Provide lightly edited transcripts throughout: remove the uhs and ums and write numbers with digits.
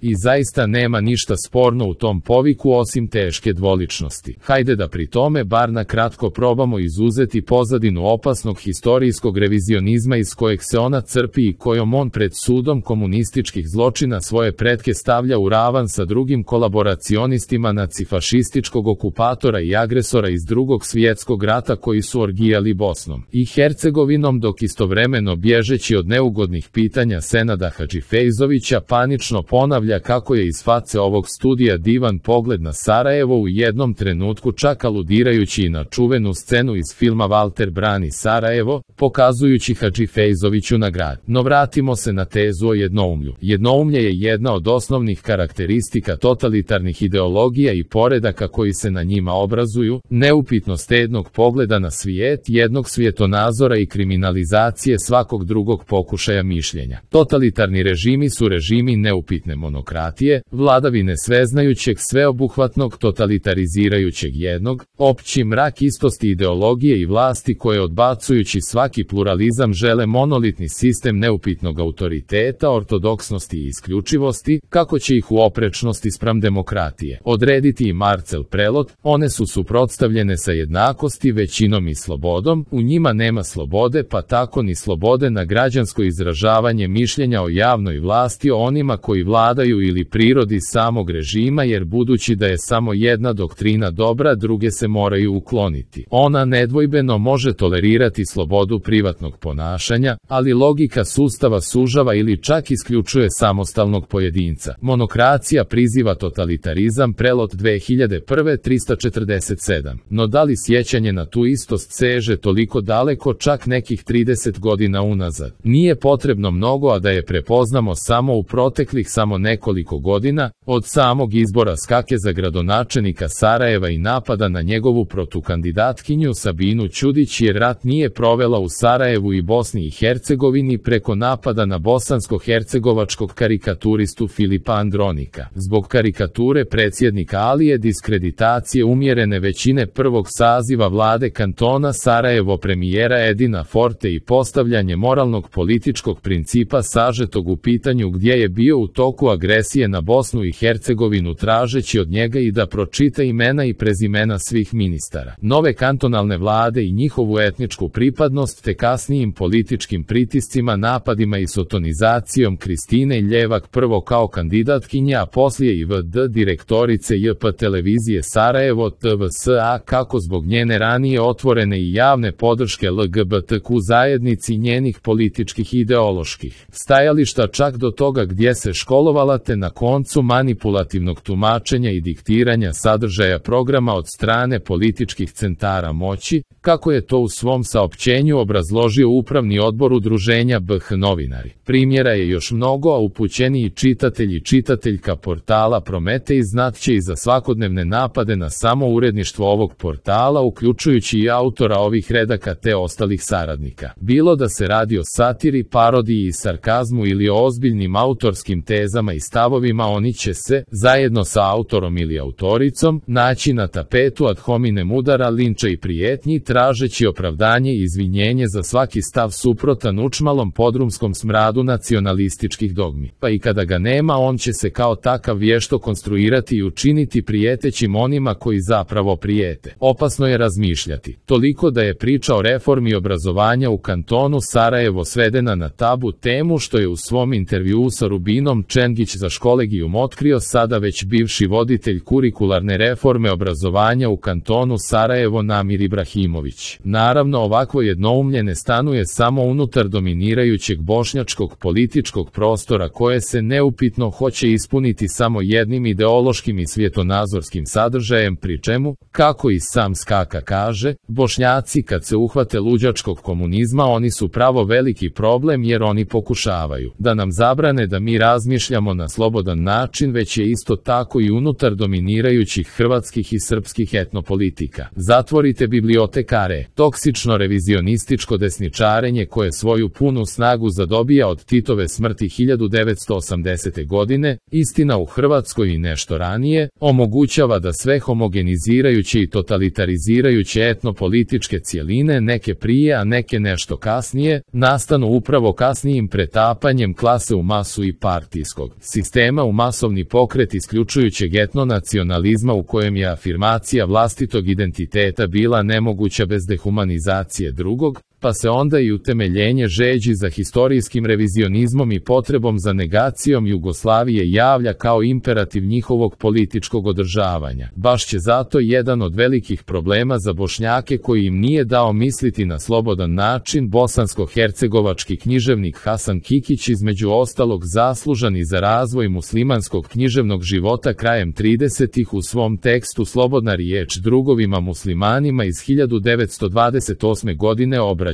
I zaista nema ništa sporno u tom poviku osim teške dvoličnosti. Hajde da pri tome bar na kratko probamo izuzeti pozadinu opasnog historijskog revizionizma iz kojeg se ona crpi i kojom on pred sudom komunističkih zločina svoje pretke stavlja u ravan sa drugim kolaboracionistima nacifašističkog okupatora i agresora iz Drugog svjetskog rata koji su orgijali Bosnom i Hercegovinom, dok istovremeno bježeći od neugodnih pitanja Senada Hadžifejzovića panično ponavlja kako je iz face ovog studija divan pogled na Sarajevo, u jednom trenutku čak aludirajući i na čuvenu scenu iz filma Walter brani Sarajevo, pokazujući Hadžifejzoviću na grad. No vratimo se na tezu o jednoumlju. Jednoumlje je jedna od osnovnih karakteristika totalitarnih ideologija i poredaka koji se na njima obrazuju, neupitnost jednog pogleda na svijet, jednog svjetonazora i kriminalizacije svakog drugog pokušaja mišljenja. Totalitarni režimi su režimi neupitne monokratije, vladavine sveznajućeg, sveobuhvatnog, totalitarizirajućeg jednog, opći mrak istosti ideologije i vlasti koje odbacujući svaki pluralizam žele monolitni sistem neupitnog autoriteta, ortodoksnosti i isključivosti, kako će ih u oprečnosti spram demokratije odrediti i Marcel Prelot. One su suprotstavljene sa jednakosti, većinom i slobodom, u njima nema slobode, pa tako ni slobode na građansko izražavanje mišljenja o javnoj vlasti, o onima koji vladaju ili prirodi samog režima, jer budući da je samo jedna doktrina dobra, druge se moraju ukloniti. Ona nedvojbeno može tolerirati slobodu privatnog ponašanja, ali logika sustava sužava ili čak isključuje samostalnog pojedinca. Monokracija priziva totalitarizam, Prelot 2001 347. No da li sjećanje na tu istost seže toliko daleko, čak nekih 30 godina unazad? Nije potrebno mnogo, a da je prepoznamo samo u proteklih samo nekoliko godina, od samog izbora Skake za gradonačelnika Sarajeva i napada na njegovu protukandidatkinju Sabinu Ćudić, jer rat nije provela u Sarajevu i Bosni i Hercegovini, preko napada na bosansko-hercegovačkog karikaturistu Filipa Andronika. Zbog karikature predsjednika Alije, diskreditacije umjerene većine prvog saziva vlade kantona Sarajevo, premijera Edina Forte i postavljanje moralnog političkog principa sažetog u pitanju gdje je bio u toku agresije na Bosnu i Hercegovinu, tražeći od njega i da pročita imena i prezimena svih ministara nove kantonalne vlade i njihovu etničku pripadnost, te kasnijim političkim pritiscima, napadima i sotonizacijom Kristine Ljevak prvo kao kandidatkinja, a poslije i VD direktorice JP televizije Sarajevo TVSA, kako zbog njene ranije otvorene i javne podrške LGBTQ zajednici i njenih političkih i ideoloških stajališta, čak do toga gdje se školovala, te na koncu manipulativnog tumačenja i diktiranja sadržaja programa od strane političkih centara moći, kako je to u svom saopćenju obrazložio Upravni odbor udruženja BH Novinari. Primjera je još mnogo, a upućeniji čitatelj i čitateljka portala Prometej znat će i za svakodnevne napade na samo uredništvo ovog portala, uključujući i autora ovih redaka te ostalih saradnika. Bilo da se radi o satiri, parodiji i sarkazmu ili o ozbiljnim autorskim tezama i stavovima, oni će se, zajedno sa autorom ili autoricom, naći na tapetu ad hominem udara, linča i prijetnji, tražeći opravdanje i izvinjenje za svaki stav suprotan učmalom podrumskom smradu nacionalističkih dogmi. Pa i kada ga nema, on će se kao takav vješto konstruirati i učiniti prijetećim onima koji zapravo prijete. Opasno je razmišljati. Toliko da je priča o reformi obrazovanja u kantonu Sarajevo svedena na tabu temu, što je u svom intervjuu sa Rubinom Čengić za Školegijum otkrio sada već bivši voditelj kurikularne reforme obrazovanja u kantonu Sarajevo Namir Ibrahimović. Naravno, ovakvo jednoumlje ne stanuje samo unutar dominirajućeg bošnjačkog političkog prostora koje se neupitno hoće ispuniti samo jednim ideološkim i svjetonazorskim sadržajem, pri čemu, kako i sam Skaka kaže, Bošnjaci kad se uhvate luđačkog komunizma, oni su pravo veliki problem, jer oni pokušavaju da nam zabrane da mi razmišljamo na slobodan način, već je isto tako i unutar dominirajućih hrvatskih i srpskih etnopolitika. Zatvorite bibliotekare. Toksično revizionističko desničarenje koje svoju punu snagu zadobija od Titove smrti 1980. godine, istina u Hrvatskoj i nešto ranije, omogućava da sve homogenizirajuće i totalitarizirajuće etnopolitičke cjeline, neke prije a neke nešto kasnije, nastanu upravo kasnijim pretapanjem klase u masu i partijskog sistema u masovni pokret isključujućeg etnonacionalizma u kojem je afirmacija vlastitog identiteta bila nemoguća bez dehumanizacije drugog, pa se onda i utemeljenje žeđi za historijskim revizionizmom i potrebom za negacijom Jugoslavije javlja kao imperativ njihovog političkog održavanja. Baš će zato jedan od velikih problema za Bošnjake koji im nije dao misliti na slobodan način bosansko-hercegovački književnik Hasan Kikić, između ostalog zaslužan i za razvoj muslimanskog književnog života krajem 30-ih u svom tekstu Slobodna riječ drugovima muslimanima iz 1928. godine obraćajući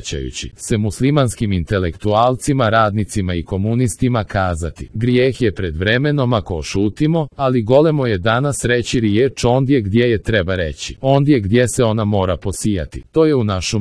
se muslimanskim intelektualcima, radnicima i komunistima kazati: grijeh je pred vremenom ako ošutimo, ali golemo je danas reći riječ ondje gdje je treba reći, ondje gdje se ona mora posijati. To je u našu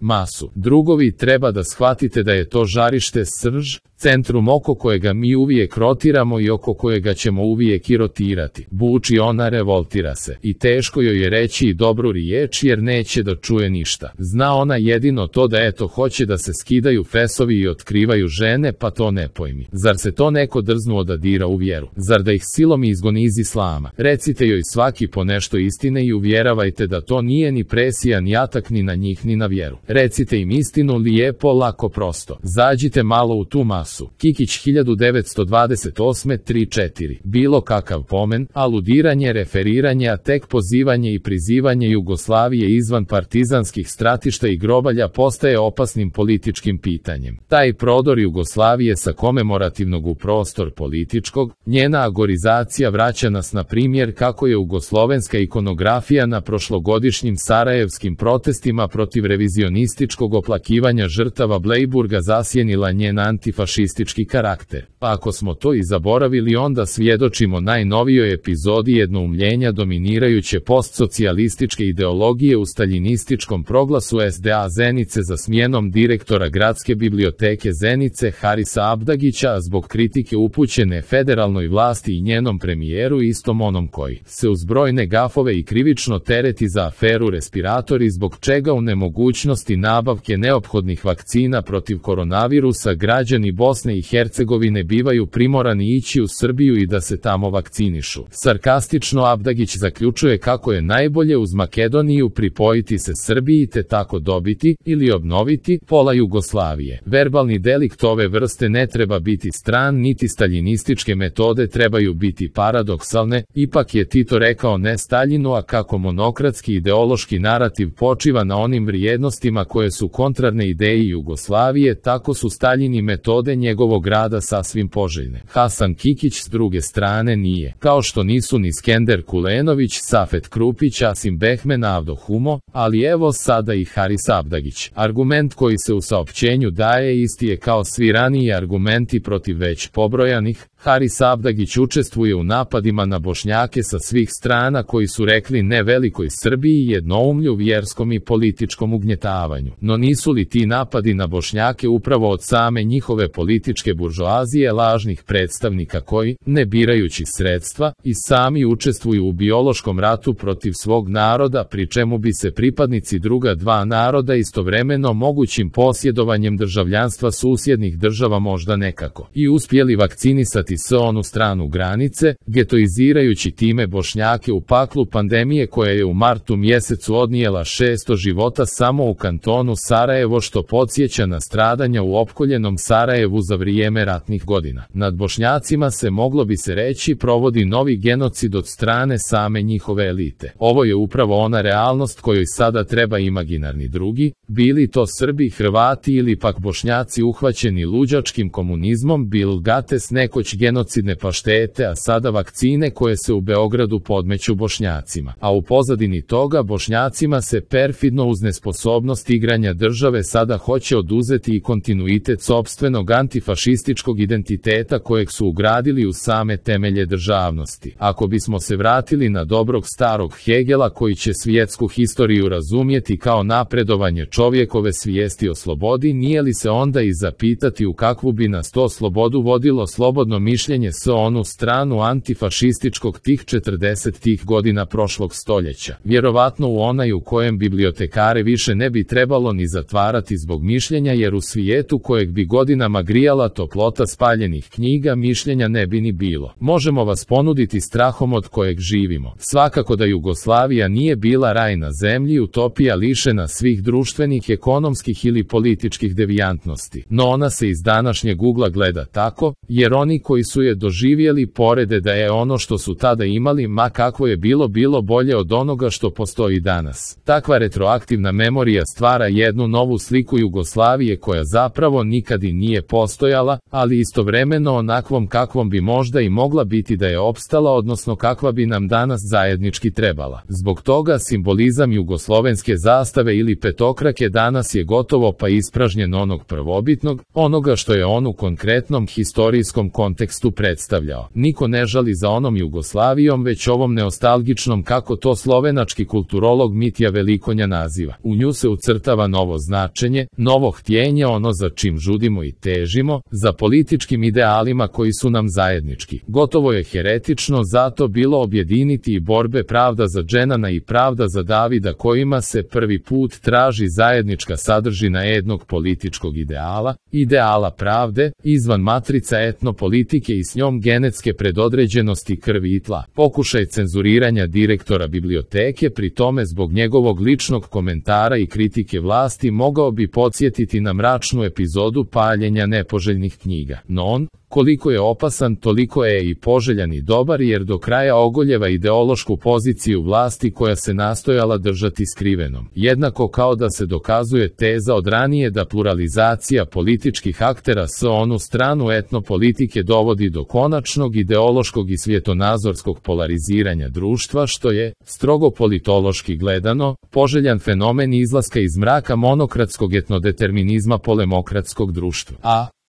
masu. Drugovi, treba da shvatite da je to žarište, srž, centrum oko kojega mi uvijek rotiramo i oko kojega ćemo uvijek i rotirati. Buči ona, revoltira se. I teško joj je reći i dobru riječ jer neće da čuje ništa. Zna ona jedino to da eto hoće da se skidaju fesovi i otkrivaju žene, pa to ne pojmi. Zar se to neko drznuo da dira u vjeru? Zar da ih silom izgoni iz islama? Recite joj svaki po nešto istine i uvjeravajte da to nije ni presija ni atak ni na njih ni na vjeru. Recite im istinu lijepo, lako, prosto. Zađite malo u tu masu. Kikić 1928 3-4. Bilo kakav pomen, aludiranje, referiranje, a tek pozivanje i prizivanje Jugoslavije izvan partizanskih stratišta i grobalja postaje opasnim političkim pitanjem. Taj prodor Jugoslavije sa komemorativnog u prostor političkog, njena agorizacija vraća nas na primjer kako je jugoslovenska ikonografija na prošlogodišnjim sarajevskim protestima protiv revizionističkog oplakivanja žrtava Blejburga zasjenila njen antifašistički karakter. Pa ako smo to i zaboravili, onda svjedočimo najnovijoj epizodi jednoumljenja dominirajuće postsocijalističke ideologije u staljinističkom proglasu SDA Zenice za smjenom direktora Gradske biblioteke Zenice Harisa Abdagića zbog kritike upućene federalnoj vlasti i njenom premijeru, istom onom koji se uz brojne gafove i krivično tereti za aferu respiratori, zbog čega u nemogućnosti nabavke neophodnih vakcina protiv koronavirusa građani Bosne i Hercegovine bivaju primorani ići u Srbiju i da se tamo vakcinišu. Sarkastično Abdagić zaključuje kako je najbolje uz Makedoniju pripojiti se Srbiji te tako dobiti ili obnoviti pola Jugoslavije. Verbalni delikt ove vrste ne treba biti stran, niti staljinističke metode trebaju biti paradoksalne, ipak je Tito rekao ne Staljinu, a kako monokratski ideološki narativ počiva na onim vrijednostima koje su kontrarne ideji Jugoslavije, tako su Staljini metode njegovog rada sasvim poželjne. Hasan Kikić s druge strane nije, kao što nisu ni Skender Kulenović, Safet Krupić, Asim Behmen, Avdo Humo, ali evo sada i Haris Abdagić. Argument koji se u saopćenju daje isti je kao svi raniji argumenti protiv već pobrojanih. Haris Abdagić učestvuje u napadima na Bošnjake sa svih strana koji su rekli ne velikoj Srbiji i jednoumlju, vjerskom i političkom ugnjetavanju. No nisu li ti napadi na Bošnjake upravo od same njihove političke buržoazije, lažnih predstavnika koji, ne birajući sredstva, i sami učestvuju u biološkom ratu protiv svog naroda, pri čemu bi se pripadnici druga dva naroda istovremeno mogućim posjedovanjem državljanstva susjednih država možda nekako i uspjeli vakcinisati s onu stranu granice, getoizirajući time Bošnjake u paklu pandemije koja je u martu mjesecu odnijela 600 života samo u kantonu Sarajevo, što podsjeća na stradanja u opkoljenom Sarajevu za vrijeme ratnih godina. Nad Bošnjacima se, moglo bi se reći, provodi novi genocid od strane same njihove elite. Ovo je upravo ona realnost kojoj sada treba imaginarni drugi, bili to Srbi, Hrvati ili pak Bošnjaci uhvaćeni luđačkim komunizmom, Bill Gates nekoć genocidne paštete, a sada vakcine koje se u Beogradu podmeću Bošnjacima. A u pozadini toga Bošnjacima se perfidno uz nesposobnost igranja države sada hoće oduzeti i kontinuitet sopstvenog antifašističkog identiteta kojeg su ugradili u same temelje državnosti. Ako bismo se vratili na dobrog starog Hegela koji će svjetsku historiju razumjeti kao napredovanje čovjekove svijesti o slobodi, nije li se onda i zapitati u kakvu bi nas to slobodu vodilo slobodno mišljenje s onu stranu antifašističkog tih 40-tih godina prošlog stoljeća. Vjerovatno u onaj u kojem bibliotekare više ne bi trebalo ni zatvarati zbog mišljenja, jer u svijetu kojeg bi godinama grijala toplota spaljenih knjiga mišljenja ne bi ni bilo. Možemo vas ponuditi strahom od kojeg živimo. Svakako da Jugoslavija nije bila raj na zemlji, utopija lišena svih društvenih, ekonomskih ili političkih devijantnosti. No ona se iz današnjeg ugla gleda tako, jer oni koji su je doživjeli porede da je ono što su tada imali, ma kakvo je bilo bolje od onoga što postoji danas. Takva retroaktivna memorija stvara jednu novu sliku Jugoslavije koja zapravo nikad i nije postojala, ali istovremeno onakvom kakvom bi možda i mogla biti da je opstala, odnosno kakva bi nam danas zajednički trebala. Zbog toga simbolizam jugoslovenske zastave ili petokrake danas je gotovo pa ispražnjen onog prvobitnog, onoga što je on u konkretnom historijskom kontekstu predstavljao. Niko ne žali za onom Jugoslavijom, već ovom neostalgičnom, kako to slovenački kulturolog Mitja Velikonja naziva. U nju se ucrtava novo značenje, novo htjenje, ono za čim žudimo i težimo, za političkim idealima koji su nam zajednički. Gotovo je heretično zato bilo objediniti i borbe pravda za Dženana i pravda za Davida, kojima se prvi put traži zajednička sadržina jednog političkog ideala, ideala pravde, izvan matrica etnopolitike i s njom genetske predodređenosti krvi i tla. Pokušaj cenzuriranja direktora biblioteke, pri tome zbog njegovog ličnog komentara i kritike vlasti, mogao bi podsjetiti na mračnu epizodu paljenja nepoželjnih knjiga. No on, koliko je opasan, toliko je i poželjan i dobar, jer do kraja ogoljeva ideološku poziciju vlasti koja se nastojala držati skrivenom. Jednako kao da se dokazuje teza od ranije da pluralizacija političkih aktera s onu stranu etnopolitike dovodi do konačnog ideološkog i svjetonazorskog polariziranja društva, što je, strogo politološki gledano, poželjan fenomen izlaska iz mraka monokratskog etnodeterminizma polemokratskog društva.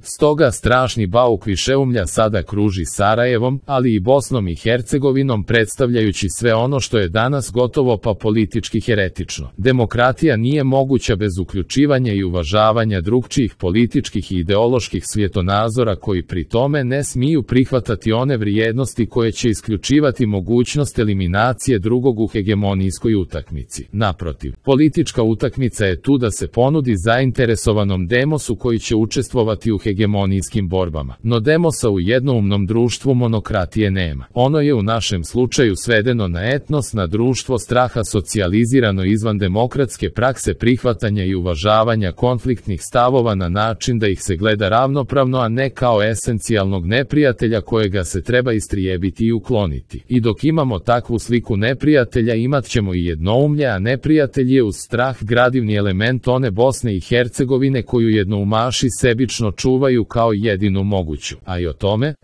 Stoga strašni bauk višeumlja sada kruži Sarajevom, ali i Bosnom i Hercegovinom, predstavljajući sve ono što je danas gotovo pa politički heretično. Demokratija nije moguća bez uključivanja i uvažavanja drugčijih političkih i ideoloških svjetonazora, koji pri tome ne smiju prihvatati one vrijednosti koje će isključivati mogućnost eliminacije drugog u hegemonijskoj utakmici. Naprotiv, politička utakmica je tu da se ponudi zainteresovanom demosu koji će učestvovati u hegemonijskim borbama. No demosa u jednoumnom društvu monokratije nema. Ono je u našem slučaju svedeno na etnos, na društvo straha, socijalizirano izvan demokratske prakse prihvatanja i uvažavanja konfliktnih stavova na način da ih se gleda ravnopravno, a ne kao esencijalnog neprijatelja kojega se treba istrijebiti i ukloniti. I dok imamo takvu sliku neprijatelja, imat ćemo i jednoumlje, a neprijatelj je uz strah gradivni element one Bosne i Hercegovine koju jednoumaši sebično čuvaju kao jedinu moguću. A i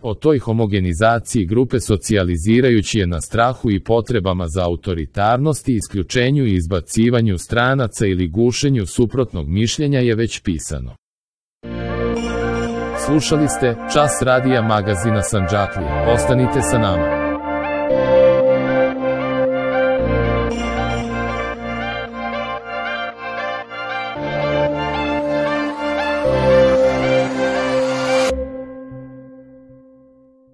o toj homogenizaciji grupe, socijalizirajući je na strahu i potrebama za autoritarnosti, isključenju i izbacivanju stranaca ili gušenju suprotnog mišljenja, je već pisano. Slušali ste Čas radija magazina Sandžaklija. Ostanite sa nama.